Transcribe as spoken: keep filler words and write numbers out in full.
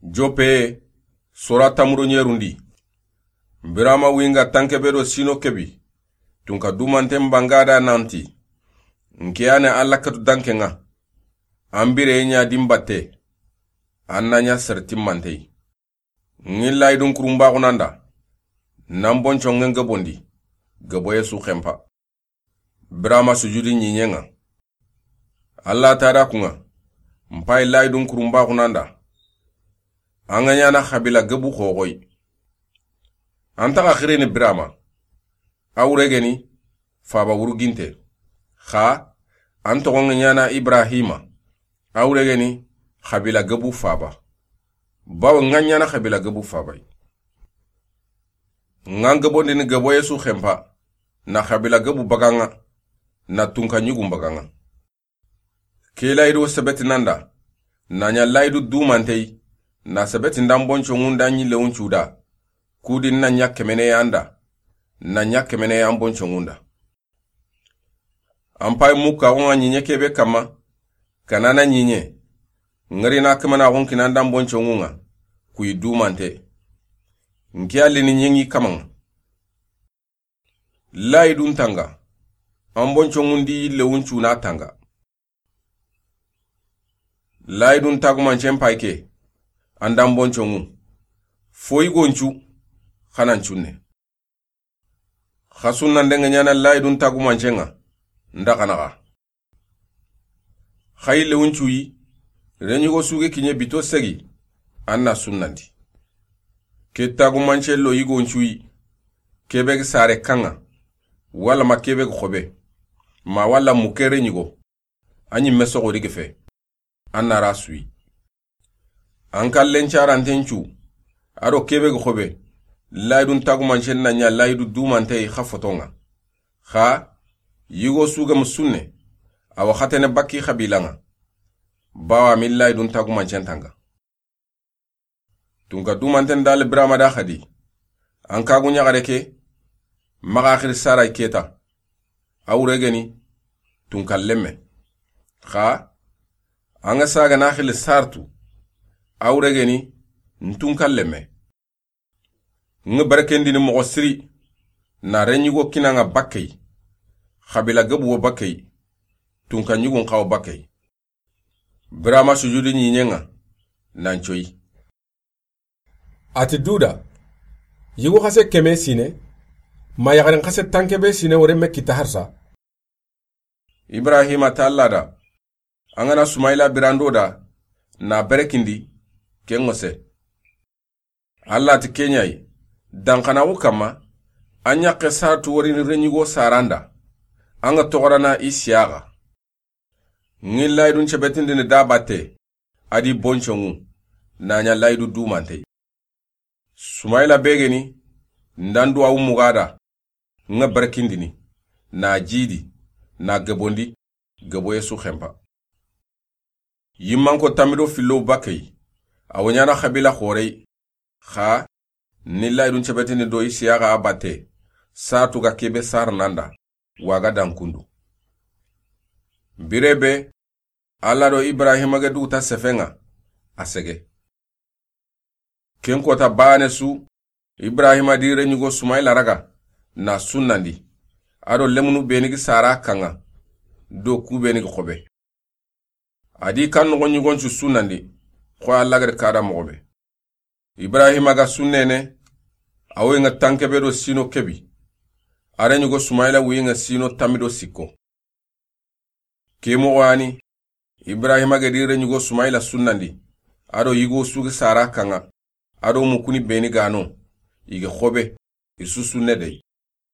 Joppe, sora tamuro ɲerundi. Birama winga tanke be do sino kebi. Tunka dumanten bangada nanti. Nkiyane Alla katu danke ŋa. An bire ɲa dimbatte. An na ɲa sertimmantey. Ŋi layidun kurumbaxunanda. Nan bonco ŋen gebondi. Geboye su xempa. Birama sujudi ɲiɲeŋa. Alla tada kuŋa. Mpayi layidun kurumbaxunanda. An ga ɲana xabila gebu xoxoyi. An taxa xirini Birama. A wure geni faba wuruginte. Xa an toxo ŋa ɲana Ibrahima. A wure geni xabila gebu faba. Bawo ŋa ɲana xabila gebu fabayi. Ŋa gebondini geboye su xempa. Na xabila gebu bagaŋa. Na tunka ɲugun bagaŋa. Ke layidu sebetinanda. Na ɲa layidu dumanteyi. Na sebetindan bonco ŋunda ɲi lewun cuda. Kudi na ɲa kemeneyanda. Na ɲa kemeneye an bonco ŋunda. An payi mukka ŋa ɲiɲe kebe kamma. Kanana ɲiɲe. Ŋari na kamana xun kinandan bonco ŋuŋa. Kuyi dumante. Nkiya lini ɲeŋi kamaŋa. Layidun tanga. An bonco ŋundi lewun cuna tanga. Layidun tagumancen payi ke. Andan bonco ŋu. Foyi goncu. Xanan cunne. Xa sunnande ŋa ɲana layidun tagumancenŋa. Nda xanaxa. Xa yille wuncuyi. Reɲigo suge kiɲe bito segi. An na sunnandi. Ke tagumance lo yigo ncuyi. Kebe gi sare kaŋa. Walla ma kebe gi xobe. Ma walla mu ke reɲigo. A ɲimme soxo di gi fe. An na ra suyi. An kallen caranten cu. A do kebe gi xobe. Layidun tagumancen na ɲa layidu dumanteyi xa fotoŋa. Xa yigo sugemu sunne. Awa xatene bakki xabilaŋa. Bawa mi layidun tagumancen tanga. Tunka dumanten dali Birama da xadi. An kagu ɲaxare ke. Maxa xiri saray keta. A wure geni. Tunka lemme. Xa. An ga saga na xili sartu. A wure geni. Ntunka lemme. Ŋa barakendini moxo siri. Na reɲigo kinaŋa bakkey. Xabila gebuwo bakkey. Tunka ɲugun xawo bakkey. Birama sujudi ɲiɲeŋa. Nan coyi. A ti duda. Yigo xase keme sine. Ma yaxarin xase tanke be sine wore me kita harsa. Ibrahima ta Alla da. An ga na Sumayila birando da. Na berekindi. Ken ŋose. Alla ti keɲayi. Danxanaxu kamma. An ɲaxe saratu worini reɲigo saranda. An ga toxorana Isiyaxa. Ŋi layidun cebetindini da batte. A di bonco ŋu. Na ɲa layidu dumantey. Sumayila begeni. Ndan duwawu mugada. Ŋa barakindini. Na jidi. Na gebondi. Geboye su xempa. Yimmanko tamido fillow bakkey. Awo ɲana xabila xorey. Xa. Ni layidun cebetini do Isiyaxa a batte. Saratu ga kebe sar nanda. Waga dan kundu. Birebe. Alla do Ibrahima ge duguta sefeŋa. A sege. Ken kota bane su. Ibrahima di reɲigo Sumayila raga. Na sunnandi. A do lemunu beni gi sara kaŋa. Do ku beni gi xobe. A di kan noxo ɲigoncu sunnandi. Xo Alla gari kada moxo be. Ibrahima ga sunnene. A woyi ŋa tanke be do sino kebi. A reɲigo Sumayila wuyi ŋa sino tamido sikko. Ke moxo yani. Ibrahima ge di reɲigo Sumayila sunnandi. A do yigo sugi sara kaŋa. A do mukuni beni gano. Igi xobe. Isu sunne dey.